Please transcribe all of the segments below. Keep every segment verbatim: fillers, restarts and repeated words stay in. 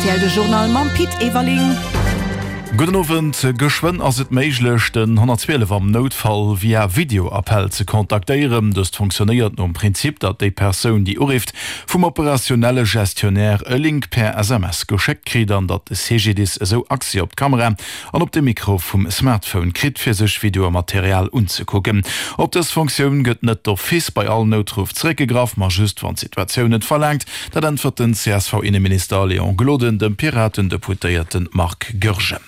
Rtl, de Journal mam Pit Everling. Gudden Owend. Geschwënn ass et méiglech, den honnertzwielef am Noutfall via Videoappell ze kontaktéieren. Dëst funktionéiert nom Prinzip, datt déi Persoun, déi urifft, vum operationelle Gestionnaire e Link per S M S geschéckt kritt an datt de C G D I S esou Accès op d'Kamera an op de Mikro vum Smartphone kritt, fir sech Videomaterial unzekucken. Op dës Funktioun gëtt net d'office bei all Noutruff zeréckgegraff, ma just wann d'Situatioun et verlaangt. Dat äntwert den C S V-Inneminister Léon Gloden dem Piraten-Deputéierte Marc Goergen.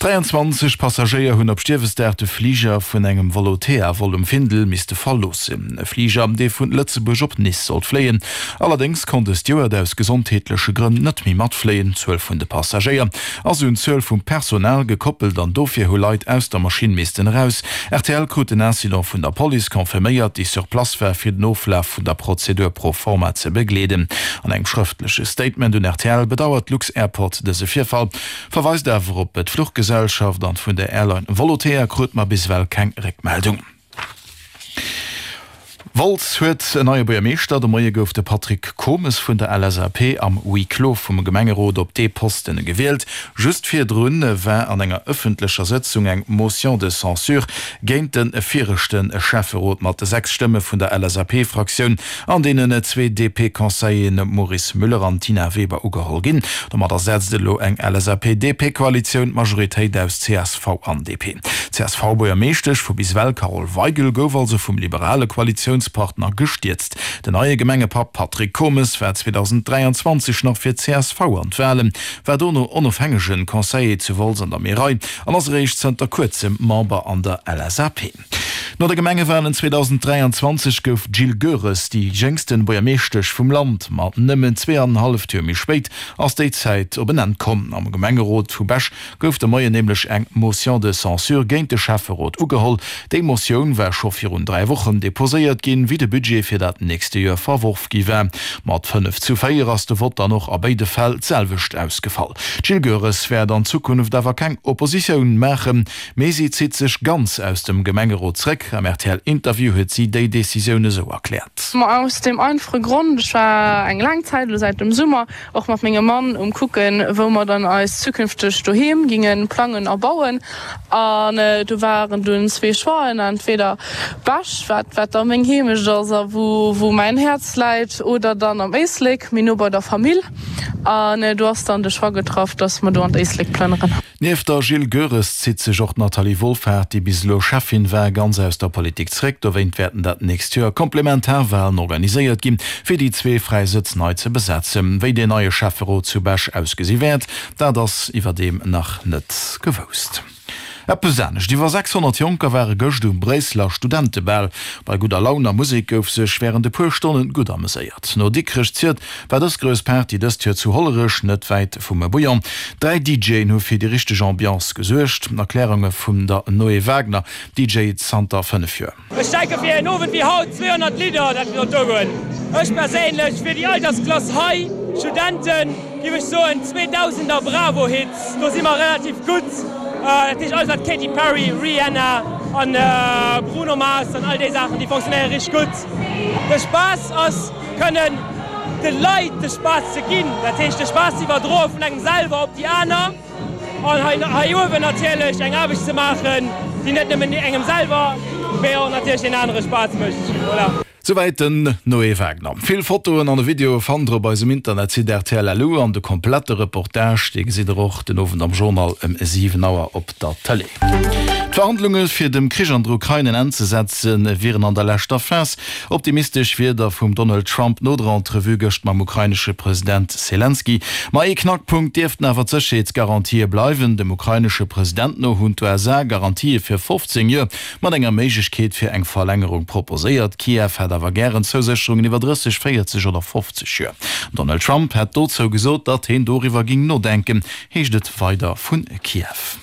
dräianzwanzeg Passagéier hunn op Stiewesdag de Fliger vun engem Volotea-Vol um Findel misste verloossen. E Fliger, dee vun Lëtzebuerg op Nice sollt fléien. Allerdéngs konnt e Steward aus gesondheetleche Grënn net méi matfléien. D'Zuel vun de Passagéier ass un d'Zuel vum Personal gekoppelt an dofir hu Leit aus der Maschinn missten eraus. R T L krut den Incident vun der Police confirméiert, déi sur place war, fir den Oflaf vun der Prozedur pro forma ze begleeden. An engem schrëftleche Statement un R T L bedauert lux-Airport dëse Virfall, verweist awer op d'Fluchgesellschaft an vun der Airline Volotea krut mer bis ewell keng Réckmeldung. Wolz huet en neie Buergermeeschter. De Moie gouf de Patrick Comes vun der L S A P am Huis clos vum Gemengerot op dee Posten gewielt. Just virdrun war an enger ëffentlecher Sëtzung eng Motion de censure géint de viregte Schäfferot mat sechs Stëmme vun der L S A P-Fraktioun an deenen zwee D P-Conseilleren Maurice Müller an Tina Weber ugeholl ginn. Domadder setzt elo eng L S A P-D P-Koalitioun d'Majoritéit aus C S V an D P. C S V-Buergermeeschtesch vu bis ewell Carole Weigel gouf also vum liberale Koalitiounspartner gestierzt. Den neie Gemengepapp Patrick Comes war zweitausenddräianzwanzeg nach fir C S V an d'Wahlen, war dono onofhängegen Conseiller zu Wolz an der Märei an ass eréischt zënter kuerzem Member an der L S A P. No der Gemengewahlen zweitausenddräianzwanzeg gouf Jill Goeres déi jéngsten Buergermeeschtesch vum Land. Mat nëmmen zweeanenhalleft Joer méi spéit ass déi Zäit op en Enn komm. Am Gemengerot vu Bech gouf de Moien nämlech eng Motion de censure géint de Schäfferot ugeholl. Déi Motioun war scho virun dräi Wochen deposéiert ginn, wéi de Budget fir dat nächste Joer verworf gi war. Mat fënnef zu véier ass de Vott dann och a béide Fäll d'selwecht ausgefall. Jill Goeres wäert an Zukunft awer keng Oppositioun maachen, mee si zitt sech ganz aus dem Gemengerot zréck. Am R T L-Interview huet si déi Decisioun esou erkläert. Ma aus dem einfache Grond, ech war eng laang Zäit, elo säit dem Summer, och mat mengem Mann um kucken, wou mer dann eis zukünfteg doheem gingen plangen a bauen. An, äh, do waren dunn zwee Choixen, entweder Bech, wat, wat da meng Heemecht ass a wou, wou mäin Häerz läit, oder dann am Éislek, méi no bei der Famill. An, äh, do ass dann de Choix getraff, dass mer do an d'Éislek plënneren. Nieft der Jill Goeres zitt sech och Nathalie Wohlfahrt, déi bis elo Chefin war, ganz aus der Politik zréck. Dowéint wäerten dat nächst Joer Komplementarwahlen organiséiert ginn, fir déi zwee fräi Sëtz nei ze besetzen. Wéi deen neie Schäfferot zu Bech ausgesi wäert, dat ass iwwerdeem nach net gewousst. Eppes anescht. Iwwer sechshonnert Jonker ware gëscht um Bréisseler Studentebal. Bei gudder Laun a Musek gouf sech wärend e puer Stonnen gutt ameséiert. No Dikrech ziert war dës grouss Party dëst Joer zu Hollerech, net wäit vum Bouillon. Dräi D Jën hu fir déi richteg Ambiance gesuergt. Erklärunge vun der Noé Wagner, D J zanter fënnef Joer. Ech denke fir en Owend wéi haut zweehonnert Lidder, dat wir do goen. Ech perséinlech fir déi Altersklass hei, Studenten, géif ech soen zweetausender Bravo-Hits, do si mer relativ gutt. Äh, dat heescht alles wat Katy Perry, Rihanna an, äh, Bruno Mars an all déi Saachen, déi funktionéiere richtig gutt. De Spaass ass kënnen de Leit de Spaass ze ginn, dat heescht de Spaass ze iwwerdroe vun engem selwer op déi aner an hei, hei uewen natierlech eng Aarbecht ze maachen, déi net nëmmen engem selwer, mee och natierlech den anere Spaass mécht. Voilà. Soweit den Noé Wagner. Vill Fotoen an de Video fannt der op eisem Internetsite R T L L U an de komplette Reportage, dee gesitt der och den Owend am Journal ëm siwen Auer op der Tëlee. D'Verhandlunge fir dem Krich an der Ukraine en Enn ze setzen, wieren an der leschter Phas. Optimistesch Wierder vum Donald Trump no der Entrevue gëscht mam ukrainesche President Zelensky. Ma ee Knackpunkt dierften awer d'Sécherheetsgarantië bleiwen. Dem ukrainesche President no hunn d'U S A Garantië fir fofzéng Joer mat enger Méiglechkeet fir eng Verlängerung proposéiert. Kiew hätt awer gären Zousécherungen iwwer drësseg, véierzeg oder fofzeg Joer. Donald Trump hätt dozou gesot, datt hien doriwwer ging nodenken, heescht et weider vun Kiew.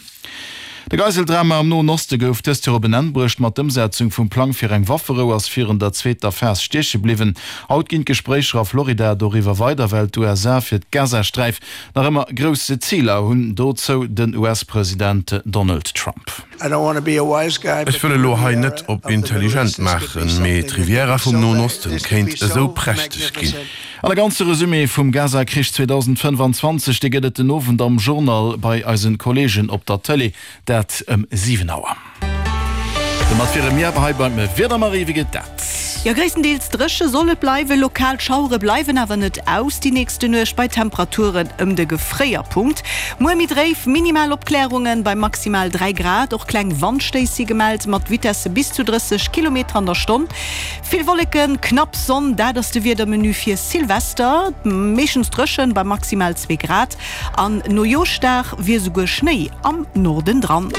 De Geiseldrama am Noen Oste gouf dëst Joer op en Enn bruecht mat Ëmsetzung vum Plang fir eng Wafferou ass virun der zweeter Phas stieche bliwwen. Haut ginn d'Gespréicher a Florida doriwwer weider, well d'U S A fir d'Gazasträif nach ëmmer grousse Ziler hunn, dozou den U S-President Donald Trump. Ech wëll elo hei net op intelligent maachen, mee d'Riviera vum Noen Osten kéint esou prächteg ginn. An e ganze Resumé vum Gaza-Krich zweedausendfënnefanzwanzeg, dee gëtt et den Owend am Journal bei eisen Kolleegen op der Tëlee, dat ëm siwen Auer. Domat wiere mir awer hei beim Wieder. Marie, wéi geet dat? Jo, gréisstendeels dréche soll et bleiwen, lokal Schauere bleiwen awer net aus déi nächste Nuecht bei Temperaturen ëm de Gefréierpunkt. Muer méi dréif, minimal Opklärungen bei maximal dräi Grad, och kleng Wandstéiss si gemellt mat Vitesse bis zu drësseg Kilometer an der Stonn. Vill Wolleken, knapp Sonn, dat ass de Wiedermenu fir Silvester, meeschtens dréchen bei maximal zwee Grad an Nojooschdag wier souguer Schnéi am Norden dran.